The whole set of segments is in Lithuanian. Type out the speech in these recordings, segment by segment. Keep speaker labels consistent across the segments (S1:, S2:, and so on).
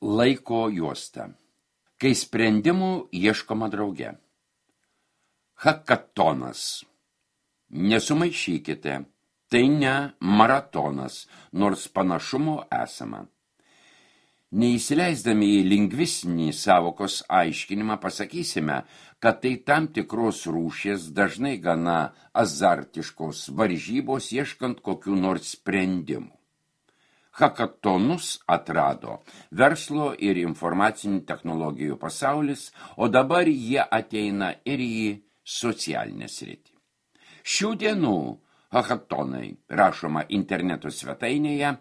S1: Laiko juosta. Kai sprendimų ieškoma drauge. Hakatonas. Nesumaišykite. Tai ne maratonas, nors panašumo esama. Neįsileisdami į lingvistinį sąvokos aiškinimą pasakysime, kad tai tam tikros rūšies dažnai gana azartiškos varžybos ieškant kokių nors sprendimų. Hakatonus atrado verslo ir informacinių technologijų pasaulis, o dabar jie ateina ir į socialinę sritį. Šių dienų hakatonai, rašoma interneto svetainėje,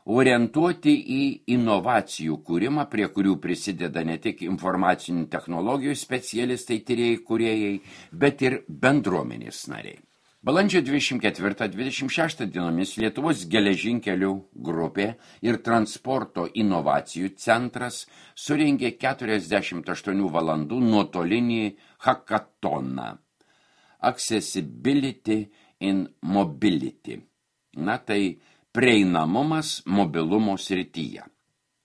S1: orientuoti į inovacijų kūrimą, prie kurių prisideda ne tik informacinių technologijų specialistai, tyrėjai, kūrėjai, bet ir bendruomenės nariai. Balandžio 24-26 dienomis Lietuvos geležinkelių grupė ir transporto inovacijų centras surengė 48 valandų nuotolinį hakatoną. Accessibility in Mobility. Tai prieinamumas mobilumo srityje.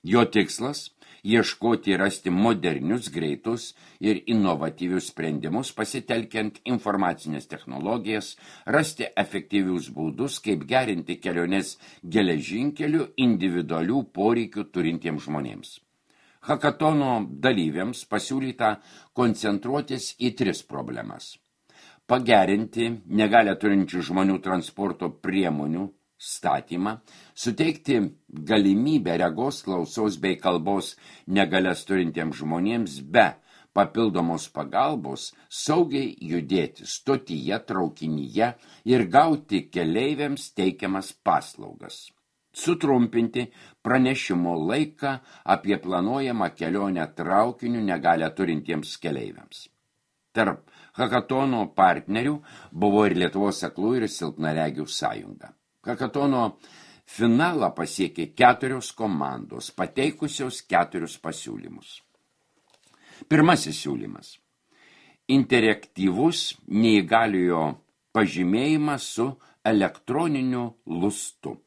S1: Jo tikslas – ieškoti ir rasti modernius, greitus ir inovatyvius sprendimus, pasitelkiant informacinės technologijas, rasti efektyvius būdus, kaip gerinti keliones geležinkelių individualių poreikių turintiems žmonėms. Hakatono dalyviams pasiūlyta koncentruotis į 3 problemas. Pagerinti negalią turinčių žmonių transporto priemonių statymą, suteikti galimybę regos, klausos bei kalbos negalias turintiems žmonėms be papildomos pagalbos saugiai judėti stotyje, traukinyje ir gauti keleiviams teikiamas paslaugas. Sutrumpinti pranešimo laiką apie planuojamą kelionę traukiniu negalią turintiems keleiviams. Tarp hakatono partnerių buvo ir Lietuvos aklų ir silpnaregių sąjunga. Hakatono finalą pasiekė 4 komandos, pateikusios 4 pasiūlymus. Pirmasis siūlymas – interaktyvus neįgaliojo pažymėjimas su elektroniniu lustu.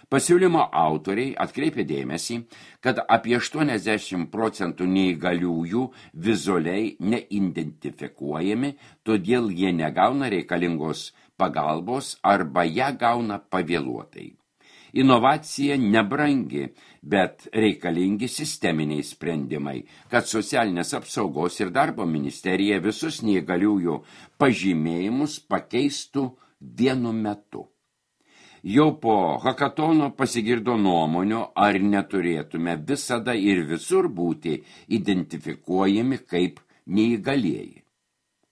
S1: Pasiūlymo autoriai atkreipė dėmesį, kad apie 80% neįgaliųjų vizualiai neidentifikuojami, todėl jie negauna reikalingos pagalbos arba ją gauna pavėluotai. Inovacija nebrangi, bet reikalingi sisteminiai sprendimai, kad socialinės apsaugos ir darbo ministerija visus neįgaliųjų pažymėjimus pakeistų vienu metu. Jau po hakatono pasigirdo nuomonių, ar neturėtume visada ir visur būti identifikuojami kaip neįgalieji.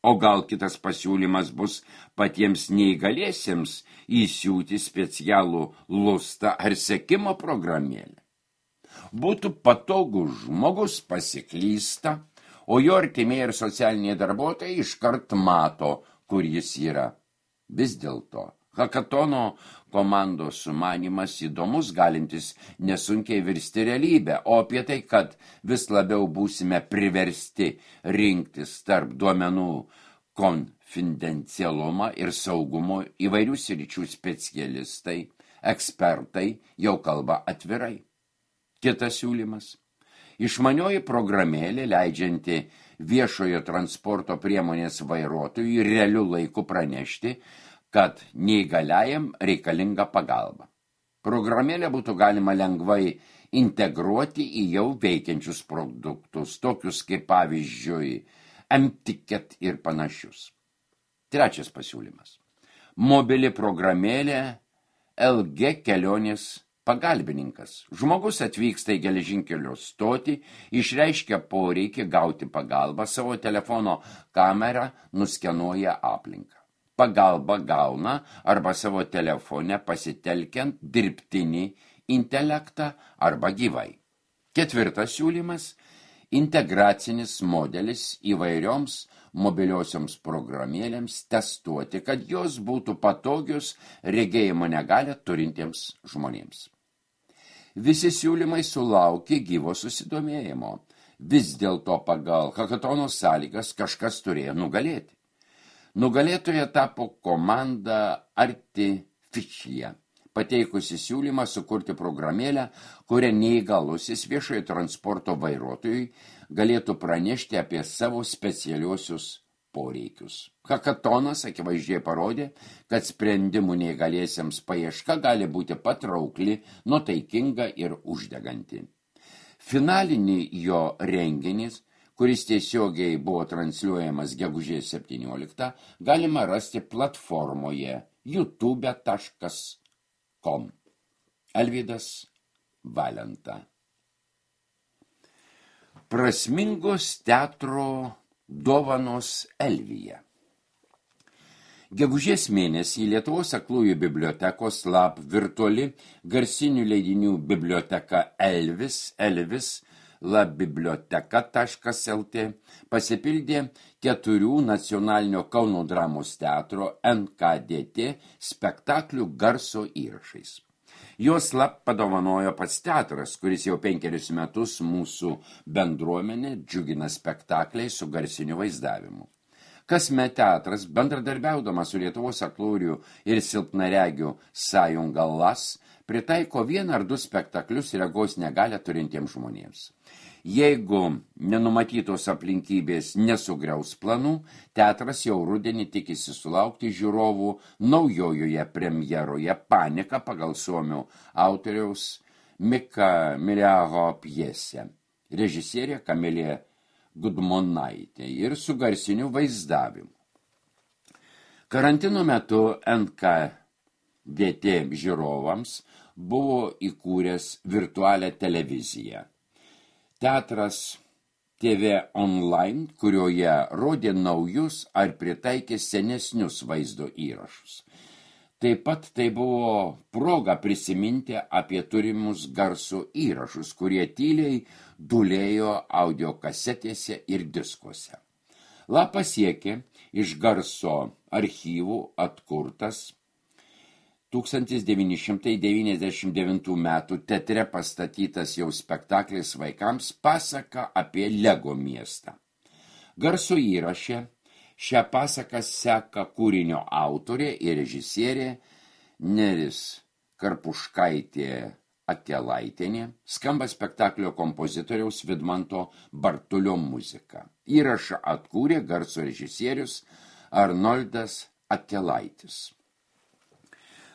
S1: O gal kitas pasiūlymas bus patiems neįgaliesiems įsiūti specialų lustą ar sekimo programėlę. Būtų patogus žmogus pasiklysta, o jo artimieji ir socialiniai darbuotojai iškart mato, kur jis yra. Vis dėlto hakatono komandos sumanymas įdomus, galintis nesunkiai virsti realybę, o apie tai, kad vis labiau būsime priversti rinktis tarp duomenų konfidencialumą ir saugumo įvairių sričių specialistai, ekspertai jau kalba atvirai. Kitas siūlymas. Išmanioji programėlė leidžianti viešojo transporto priemonės vairuotojui realiu laiku pranešti, kad neįgaliajam reikalinga pagalba. Programėlę būtų galima lengvai integruoti į jau veikiančius produktus, tokius kaip pavyzdžiui M-Ticket ir panašius. Trečias pasiūlymas. Mobili programėlė LG kelionės pagalbininkas. Žmogus atvyksta į geležinkelio stotį, išreiškia poreikį gauti pagalbą, savo telefono kamerą nuskenuoja aplinką. Pagalbą gauna arba savo telefone pasitelkiant dirbtinį intelektą arba gyvai. Ketvirtas siūlymas – integracinis modelis įvairioms mobiliosioms programėlėms testuoti, kad jos būtų patogios regėjimo negalią turintiems žmonėms. Visi siūlymai sulaukė gyvo susidomėjimo. Vis dėlto pagal hakatono sąlygas kažkas turėjo nugalėti. Nugalėtoja tapo komanda Artificial, pateikusi siūlymą sukurti programėlę, kurią neįgalusis viešojo transporto vairuotojui galėtų pranešti apie savo specialiuosius poreikius. Hakatonas akivaizdžiai parodė, kad sprendimų neįgaliesiems paieška gali būti patraukli, nuotaikinga ir uždeganti. Finalinį jo renginys, kuris tiesiogiai buvo transliuojamas gegužės 17, galima rasti platformoje youtube.com. Alvydas Valenta. Prasmingos teatro dovanos Elvyje. Gegužės mėnesį Lietuvos aklųjų bibliotekos LAB virtuali garsinių leidinių biblioteka Elvis labiblioteka.lt pasipildė 4 nacionalinio Kauno dramos teatro NKDT spektaklių garso įrašais. Jos LAB padovanojo pats teatras, kuris jau 5 metus mūsų bendruomenė džiugina spektakliai su garsiniu vaizdavimu. Kasmet teatras, bendradarbiaudamas su Lietuvos aklųjų ir silpnaregių sąjunga LAS, pritaiko 1 ar 2 spektaklius regos negalią turintiems žmonėms. Jeigu nenumatytos aplinkybės nesugriaus planų, teatras jau rudenį tikisi sulaukti žiūrovų naujojoje premjeroje Panika pagal suomių autoriaus Mika Miriaho pjesę. Režisierė Kamilė Gudmonaitė ir su garsiniu vaizdavimu. Karantino metu NKDT žiūrovams buvo įkūręs virtualią televiziją. Teatras TV Online, kurioje rodė naujus ar pritaikė senesnius vaizdo įrašus. Taip pat tai buvo proga prisiminti apie turimus garso įrašus, kurie tyliai dūlėjo audio kasetėse ir diskuose. LAB pasiekė iš garso archyvų atkurtas 1999 metų teatre pastatytas jau spektaklis vaikams pasaka apie Lego miestą. Garso įraše šią pasaką seka kūrinio autorė ir režisierė Neris Karpuškaitė Akelaitienė, skamba spektaklio kompozitoriaus Vidmanto Bartulio muzika. Įrašą atkūrė garso režisierius Arnoldas Akelaitis.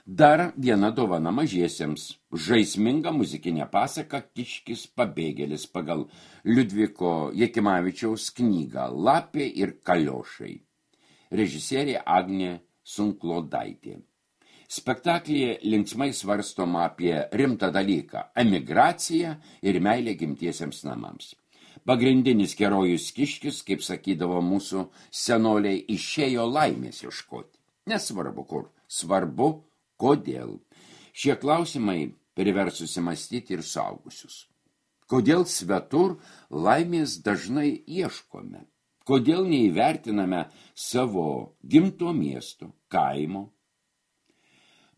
S1: Dar viena dovana mažiesiems – žaisminga muzikinė pasaka Kiškis pabėgėlis pagal Liudviko Jakimavičiaus knygą Lapė ir kaliošai. Režisierė Agnė Sunklodaitė. Spektaklyje linksmai svarstoma apie rimtą dalyką – emigraciją ir meilę gimtiesiems namams. Pagrindinis herojus Kiškis, kaip sakydavo mūsų senoliai, išėjo laimės ieškoti. Nesvarbu kur, svarbu kodėl. Šie klausimai privers susimąstyti ir suaugusius. Kodėl svetur laimės dažnai ieškome? Kodėl neįvertiname savo gimto miesto, kaimo?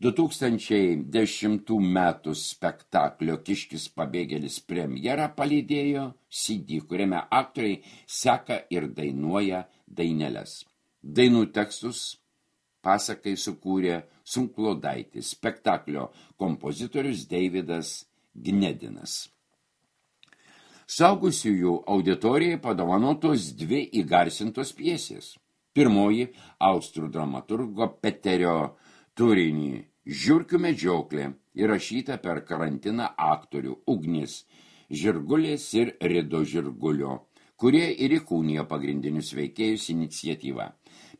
S1: 2010 metų spektaklio Kiškis pabėgėlis premjerą palydėjo CD, kuriame aktoriai seka ir dainuoja daineles. Dainų tekstus pasakai sukūrė Sunklodaitis, spektaklio kompozitorius Deividas Gnedinas. Suaugusiųjų auditorijai padovanotos 2 įgarsintos pjesės. Pirmoji austrų dramaturgo Peterio Turinį Žiurkių medžioklė įrašyta per karantiną aktorių Ugnis Žirgulės ir Rido Žirgulio, kurie ir įkūnijo pagrindinius veikėjus iniciatyvą.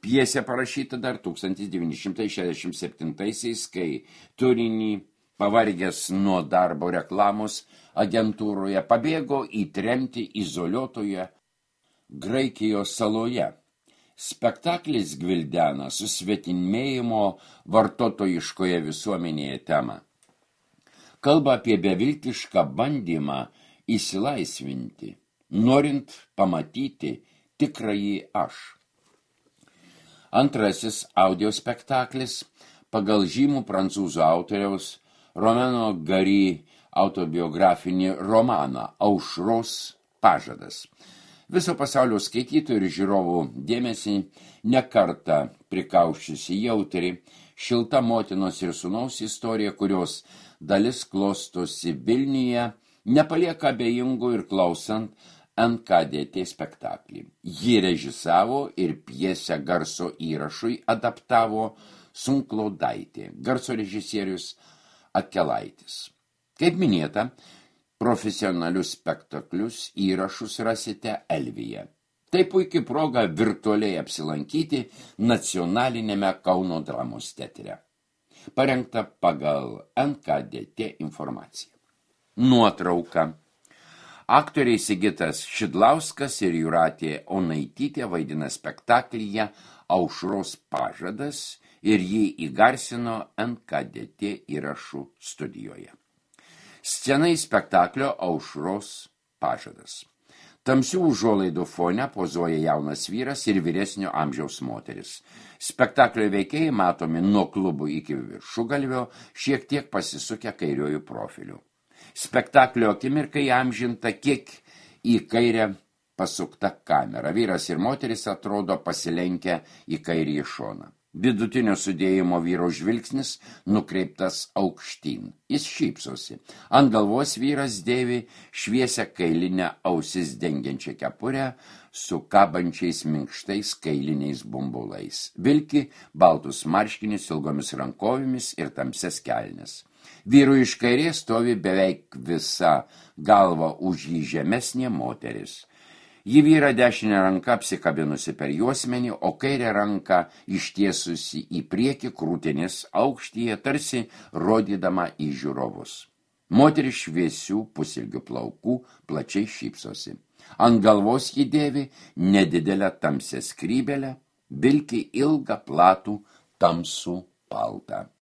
S1: Pjesė parašyta dar 1967-aisiais, kai Turinį, pavargęs nuo darbo reklamos agentūroje, pabėgo į tremtį izoliuotoje Graikijos saloje. Spektaklis gvildena susvetimėjimo vartotojiškoje visuomenėje temą. Kalba apie beviltišką bandymą įsilaisvinti, norint pamatyti tikrąjį aš. Antrasis audio spektaklis pagal žymų prancūzų autoriaus Romano Gary autobiografinį romaną Aušros pažadas. Viso pasaulio skaitytojų ir žiūrovų dėmesį nekartą prikauščiusi jautri, šilta motinos ir sūnaus istorija, kurios dalis klostosi Vilniuje, nepalieka abejingų ir klausant NKDT spektaklį. Jį režisavo ir pjesę garso įrašui adaptavo Sunklaudaitė, garso režisierius Akelaitis. Kaip minėta, profesionalius spektaklius įrašus rasite Elvyje. Tai puikiai proga virtualiai apsilankyti nacionalinėme Kauno dramos teatre. Parengta pagal NKDT informaciją. Nuotrauka. Aktoriai Sigitas Šidlauskas ir Jūratė Onaitytė vaidina spektaklyje Aušros pažadas ir jį įgarsino NKDT įrašų studijoje. Scena į spektaklio Aušros pažadas. Tamsių užuolaidų fone pozuoja jaunas vyras ir vyresnio amžiaus moteris. Spektaklio veikėjai matomi nuo klubų iki viršugalvio, šiek tiek pasisukę kairiojų profilių. Spektaklio akimirkai amžinta kiek į kairę pasukta kamera. Vyras ir moteris atrodo pasilenkę į kairį šoną. Vidutinio sudėjimo vyro žvilgsnis nukreiptas aukštyn. Jis šypsosi. Ant galvos vyras dėvi šviesią kailinę ausis dengiančią kepurę su kabančiais minkštais kailiniais bumbulais. Vilki baltus marškinius ilgomis rankovėmis ir tamsias kelnes. Vyrų iš kairės stovi beveik visa galva už jį žemesnė moteris. Ji vyra dešinę ranką apsikabinusi per juosmenį, o kairę ranką ištiesusi į priekį krūtinės aukštyje, tarsi rodydama į žiūrovus. Moteris šviesių pusilgių plaukų plačiai šypsosi. Ant galvos ji dėvi nedidelę tamsią skrybelę, vilki ilgą platų tamsų paltą.